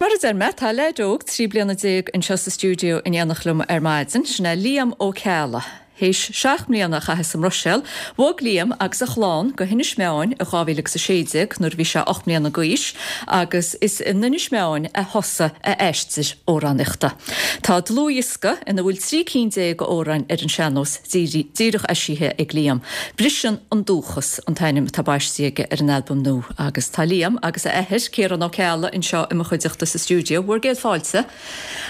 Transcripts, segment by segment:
Mar a deir mé, tá leaid óg 13 bliana anseo sa stiúideo in éineacht liom ar maidin, sin é Liam Ó Ceallaigh. Théis 7 mbliana a chaitheamh sa mBruiséil, bhog Liam agus a chlann go hInis Meáin i 2016 nuair a bhí sé 8 mbliana d'aois agus is in Inis Meáin a thosaigh a aistear amhránaíochta. Tá dlúthdhiosca ina bhfuil 13 cinn d'amhráin ar an sean-nós díreach eisithe ag Liam. Briseann an Dúchas an t-ainm atá baistí aige ar an albam nua agus tá Liam agus a athair, Ciarán Ó Ceallaigh, anseo i mo chuideachta sa stiúideo. Bhur gcéad fáilte.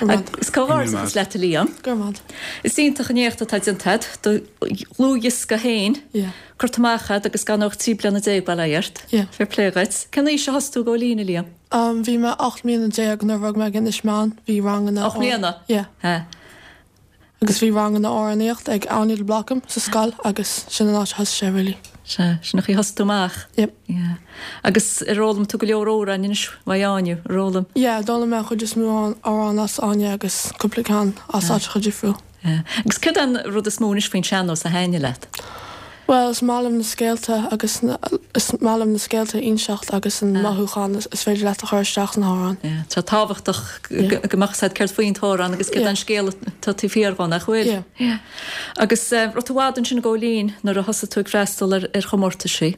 Agus comhghairdeachas leat a Liam. Go raibh maith. Is iontach an éacht atá déanta agat, do dhlúthdhiosca féin curtha amach agat agus gan ach 13 bliana bail ó Dhia ort. Fair play dhuit. Cén aois a thosaigh tú ag gabháil fhoinn, a Liam? Bhí mé 18 mbliana nuair a bhog mé go Inis Meáin. Bhí ranganna. 8 mbliana? Yeah. Agus bhí ranganna amhránaíocht ag Áine de Blácam sa scoil agus sin an áit a thosaigh sé really. Sea, sin an chaoi a thosaigh tú amach. Yep. Yeah. Agus ar fhoghlaim tú go leor amhráin anois uaidh Áine, ar fhoghlaim? Yeah, d'fhoghlaim mé an chuid is mó amhrán as Áine agus cúpla ceann as áiteacha difriúil. Yeah. Agus céard é an rud is mó anois faoin sean-nós a thaitníonn leat? Bhuel, is maith liom na scéalta agus na, is maith liom na scéalta a inseacht agus an mothúchán is féidir leat a chur isteach sna hamhráin. Yeah, tá tábhachtach go mbeadh fhios agat céard faoin t-amhrán agus céard é an scéal atá taobh thiar dhó, nach bhfuil? Yeah. Yeah. Agus raibh tú i bhfad ansin ag gabháil fhoinn nuair a thosaigh tú ag freastal ar ar chomórtaisí?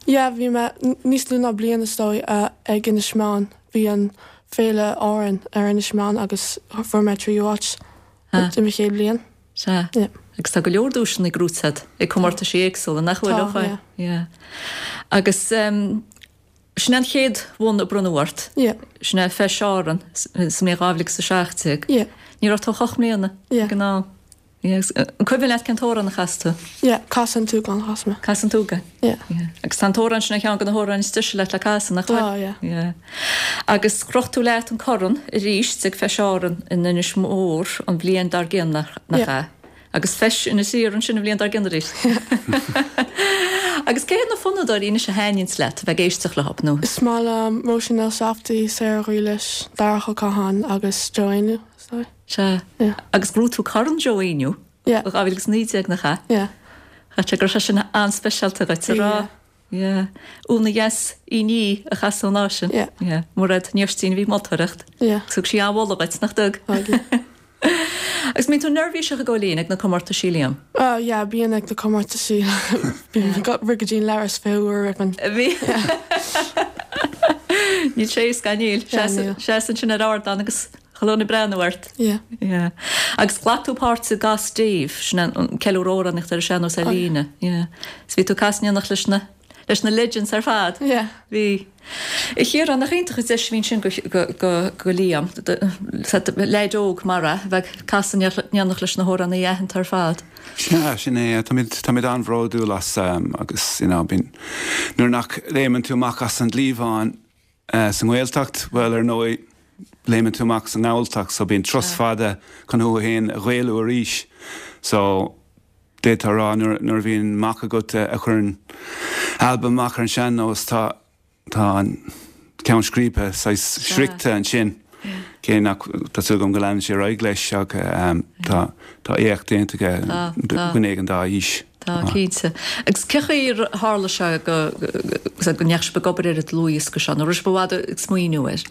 Yeah, bhí mé níos lú ná bliain is dóigh ag Inis Meáin. Bhí an Féile Árann ar Inis Meáin agus fuair mé tríú háit i mo chéad bhliain. Sea. Yeah. Agus tá go leor duaiseanna gnóthaithe agat ag comórtaisí éagsúla, nach bhfuil? Tá, yeah. Yeah. Agus sin é an chéad bhonn a bronnadh ort. Yeah. Sin é Feis Árann sa mbliain 2017. Yeah. Ní raibh tú ach 8 mbliana Yeah. ag an am. Yeah. Agus an cuimhin leat cén t-amhrán a chas tú? Yeah, Casadh an tSúgáin a chas mé. Casadh an tSúgáin. Yeah. Yeah. Agus tá an t-amhrán sin ar cheann de na hamhráin is deise leat le casadh, nach bhfuil? Tá, yeah. Yeah. Agus chroch tú leat an corn arís ag Feis Árann in Inis Mór an bhliain dár gcionn, nach ea? Agus Feis Inis Oírr ansin an bhliain dár gcionn arís. Agus cé hiad na fonnadóirí anois a thaitníonns leat a bheith ag éisteacht leo, nó? Is maith liom Róisín Elsafty, Sarah Ghriallais, Darach Ó Catháin agus Joe Éinniú, is dóigh. Sea. Yeah. Agus ghnóthaigh tú Corn Joe Éinniú Yeah. i 2019, nach ea? Yeah. Chaithfeadh sé go raibh sé sin an-speisialta dhuit, an raibh? Yeah. Yeah. Úna dheas Uí Ní a chas an lá sin. Yeah. Yeah. Mairéad Ní Oistín a bhí ag moltóireacht. Yeah. Thug sí an-mholadh dhuit, nach dtug? Thug, yeah. Agus mbíonn tú neirbhíseach ag gabháil fhoinn ag na comórtaisí, Liam? Oh yeah, bíonn ag na comórtaisí. Bíonn ag rith go dtí an leithreas 20 uair roimh an. Bhí. Níl sé éasca, níl. Yeah, níl. Seas ansin ar ardán agus chuile dhuine ag breathnú ort. Yeah. Yeah. Agus ghlac tú páirt i gCas Dave, sin an ceiliúradh amhránaíochta ar an sean-nós ar líne. Yeah. So bhí tú ag casadh in éineacht leis na leis na legends ar fad. Yeah. Bhí. A Chiaráin, nach iontach an deis a bhí ansin go go go go Liam, leaid óg mar é, a bheith ag casadh in éineacht leis na hamhránaithe aitheanta ar fad. Sea, sin é. Táimid táimid an-bhródúil as agus you know bíonn nuair nach léimeann tú amach as an gcliabhán Sa nGaeltacht, bhuel, ar ndóigh, léimeann tú amach sa nGalltacht, so bíonn turas fada chun thú fhéin a Ghaelú arís. So, d'fhéadfá a rá, nuair, nuair a bhíonn mac agat a chuireann albam amach ar an sean-nós, tá, tá an ceann scríbe saghas sroichte ansin, cé nach, tá súil agam go leanann sé ar aghaidh leis ach tá, tá éacht déanta aige, duine éigin dá aois. Tá, cinnte. Agus cén chaoi ar tharla sé go go ndeachaigh sibh ag obair ar an dlúthdhiosca seo? Nó raibh sibh i bhfad ag smaoineamh air?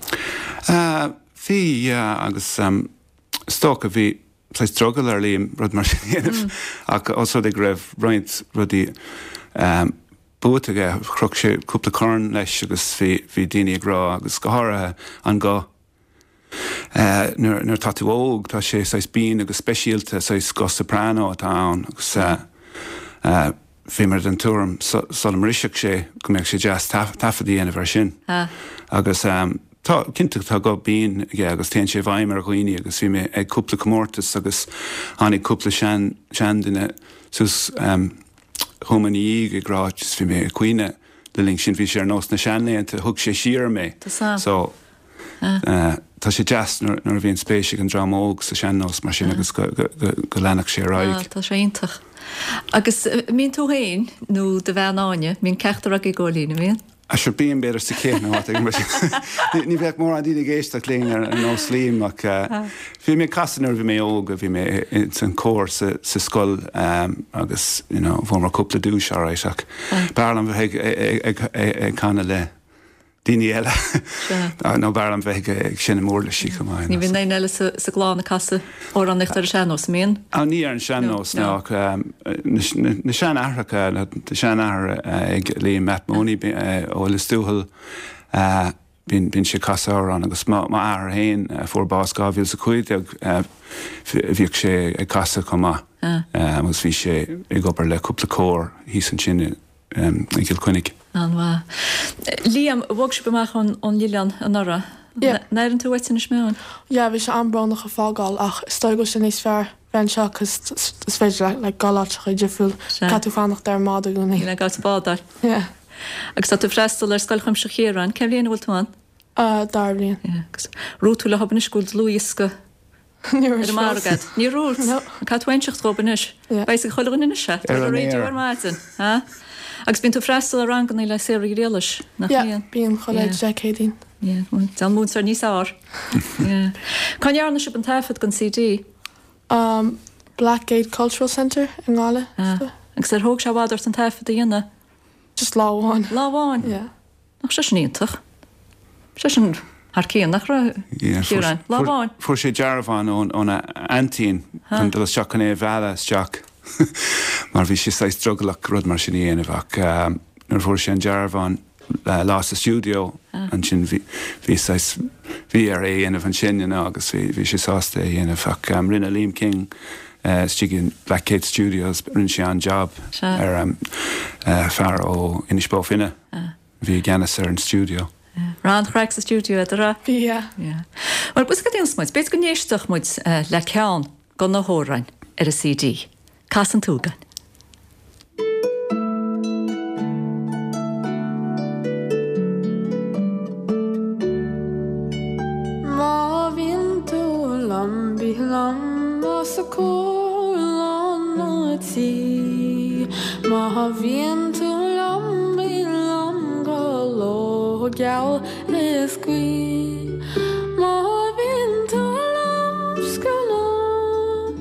Bhí, yeah, agus is dócha bhí saghas drogall ar Liam rud mar sin a dhéanamh ach os rud é go raibh roinnt rudaí buaite aige, chroch sé cúpla corn leis agus bhí bhí daoine ag rá agus go háirithe an guth Nuair atá tú óg, tá sé saghas binn agus speisialta, saghas guth soprano atá ann agus bhíomar den tuairim sula mbrisfeadh sé go mbeadh sé deas taifead a dhéanamh air sin. Agus tá, cinnte tá guth binn aige agus téann sé i bhfeidhm ar dhaoine agus bhí mé ag cúpla comórtas agus tháinig cúpla sean, seanduine suas chugam ina dhiaidh ag rá just bhí mé ag caoineadh le linn sin, bhí sé ar nós na seanlaethanta, thug sé siar mé. So. Tá sé deas nuair a bhíonn spéis ag an dream óg sa sean-nós mar sin agus go leanfadh sé ar aghaidh. Tá sé iontach. Agus mbíonn tú féin nó do bhean Áine, mbíonn ceachtar agaibh ag gabháil fhoinn, an mbíonn? Ah sure bíonn b'fhéidir sa chith nó áit éigin mar sin. Ní bheadh mórán daoine ag éisteacht linn ar nós Liam ach bhí mé ag casadh nuair a bhí mé óg, bhí mé ins an cór sa scoil agus you know bhuamar cúpla duais alright ach b'fhearr liom bheith ag canadh le. daoine eile. Nó b'fhearr liom bheith ag seinm uirlisí chomh maith. Ní bhíonn éinne eile sa gclann ag casadh amhránaíocht ar an sean-nós, an mbíonn? Ní ar an sean-nós, no, ach na seanaithreacha, tá seanathair ag Liam Matt Mooney ó Lios Tuathail, bíonn sé ag casadh amhrán agus m'athair féin a fuair bás 2015, bhíodh sé ag casadh chomh maith agus bhí sé ag obair le cúpla cór thíos ansin i i gCill Chainnigh. An-mhaith. Liam, bhog sibh amach ón oileán anuraidh. Yeah. An airíonn tú uait Inis Meáin? Yeah, bhí sé an-brónach a fágáil ach is dóigh go bhfuil sé níos fearr bheith anseo cos is féidir leat like dul áiteacha difriúil. Caithfidh tú fanacht ar an mbád i gcónaí. Níl gá duit bádáil. Yeah. Agus tá tú ag freastal ar Scoil Chuimsitheach Chiaráin. Cén bhliain a bhfuil tú ann? Uh, dara bliain. Yeah, agus raibh tú leo anois go bhfuil dlúthdhiosca Ní Ar an margadh. Níor dhúirt. No. Caithfidh tú inseacht dhób anois. Yeah. Beidh a fhios ag chuile dhuine anois é. Ar an raidió aer. ar maidin. Ha? Agus bíonn tú ag freastal ar ranganna le Sarah Uí Ghriallais, nach Yeah, mbíonn? bíonn chuile Yeah. Dé Céadaoin. Yeah, well, tá an múinteoir níos fearr. Yeah. Cá ndearna sibh an taifead don CD? Um, Blackgate Cultural Centre i nGaillimh. Ah. Agus ar thóg sé i bhfad ort an taifead a dhéanamh? Just lá amháin. Lá amháin? Yeah. Nach sé sin iontach? Sé sin thar cionn, nach raibh? Ciarán, lá amháin. Fuair sé dearbhán óna aintín chun dul isteach chun é a mhealladh isteach mar bhí sé saghas drogallach rud mar sin a dhéanamh ach nuair a fuair sé an dearbhán lá sa stiúideo ansin bhí bhí saghas bhí air é a dhéanamh ansin you know agus bhí bhí sé sásta é a dhéanamh ach rinne Liam King istigh in Blackgate Studios rinne sé an-jab ar fear ó Inis Bó Finne. A bhí i gceannas ar an stiúideo. Raibh an-chraic sa stiúideo, a raibh? Bhí, yeah. Yeah. Bhuel, bhfuil a fhios agat cad a dhéanfas muid? B'fhéidir go n-éistfeadh muid le ceann de na hamhráin ar an CD. Cas an tSúgáin. Má bhíonn tú liom, bí liom os a comhair lán an tí. Má bhíonn tú liom, bí liom go ló geal is gaoth. Má bhíonn tú liom, scair liom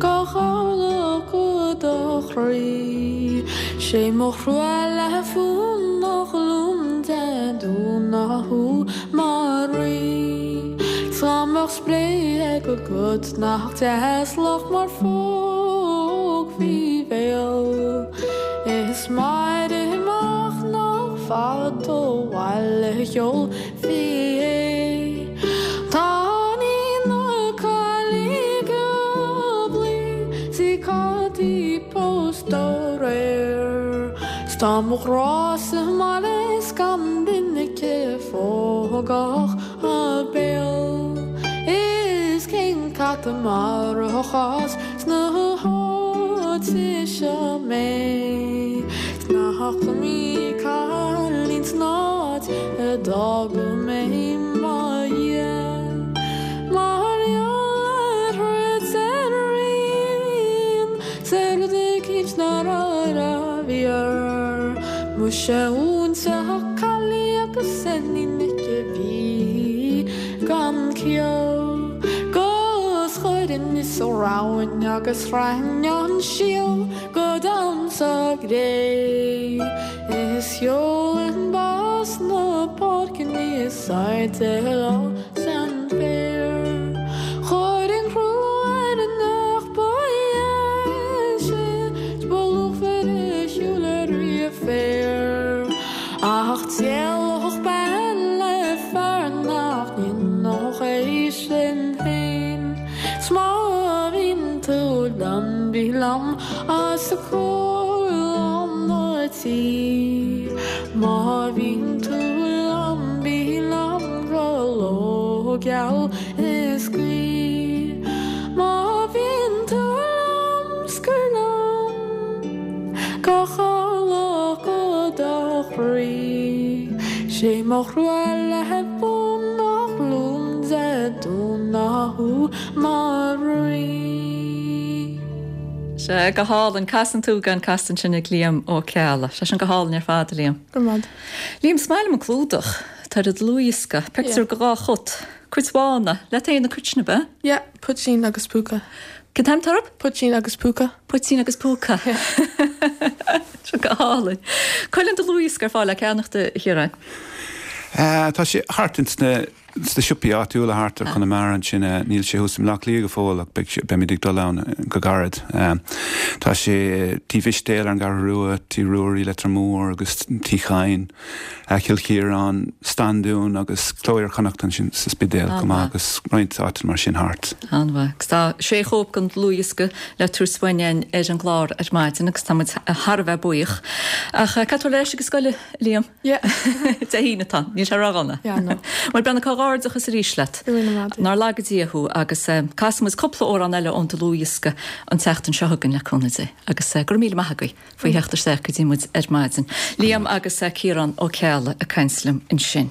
gach orlach de do chroí. 'Sé mo thrua le fún nach liom de dúna thú mar rí. 'S dá mbeadh spré agat nach deas lach mar phóg faoi bhéal. Is maith amach nach fada ó bhaile sheolfaí é. Tá na caillí go 's í Cáití pósta aréir. 'S tá mo ghrá sa mbaile 's gan duine aici phógfadh a béal. Is cén cat a mharódh as na háite seo mé? 'S nach iomaí cailín san áit a d'fhága mé i mo dhiaidh. Mar gheall ar throid ar aon 's ar rud eicínt nár fhíor. Muise iontach caillí agus iníon aici a bhí gan ciall. 'Gus chuirfinn is a roghain agus shroichfinn an síol go domhan sa gcré. Is sheolfainn bás na páirce níos airde san bhféar. Chuirfinn crú ar an each ba dheise 's ba luachmhaire a shiúil ariamh féar. Ach d'éalódh bean le fear nach ndéanfadh é sin féin. 'S má bhíonn tú liom, bí liom os a comhair lán an tí. Má bhíonn tú liom, bí liom go ló geal is gaoth. Má bhíonn tú liom, scair liom gach orlach de do chroí. 'Sé mo thrua le bun nach liom de dúnadh thú mar rí. Sea, go hálainn. Cas an tSúgáin casta ansin ag Liam Ó Ceallaigh. Sé sin go hálainn ar fad, a Liam. Go raibh maith. Liam, is maith liom an clúdach. Tá ar an dlúthdhiosca. Pictiúr de dhá chut. Cuid bhána. Leat féin na cuid sin, ab ea? Yeah, Poitín agus Púca. Cén t-ainm atá orthu? Poitín agus Púca. Poitín agus Púca. Sin go hálainn. Cá bhfuil an dlúthdhiosca ar fáil le ceannacht, a Chiaráin? Tá sé thart ins na sna siopaí áitiúla thart ar Chonamara ansin. Níl sé thuas i mBleá Cliath go fóill ach beidh sé, beimid ag dul ann go gairid. Tá sé Tí Mhistéil ar an gCeathrú Rua, Tí Ruairí, Leitir Móir agus Tí Chadhain, Cill Chiaráin, Standún agus Cló Iar-Chonnacht ansin sa Spidéal chomh maith agus roinnt áiteanna mar sin thart. An-mhaith. Agus tá sé chóip den dlúthdhiosca le tabhairt uainn ar an gclár ar maidin agus tá muid thar a bheith buíoch. Ach caithfidh tú dul ar ais ag an scoil, a Liam? Yeah. Dé hAoine atá. Níl sé ródhona. Yeah, no. Bhuel, Breandán, comhghairdeachas arís leat. Go raibh míle maith agat. Nár laga Dia thú agus casfaidh muid cúpla amhrán eile ón dlúthdhiosca an tseachtain seo chugainn le cúnamh Dé. Agus go raibh míle maith agaibh faoi theacht isteach go dtí muid ar maidin. Liam agus Ciarán Ó Ceallaigh ag caint liom ansin.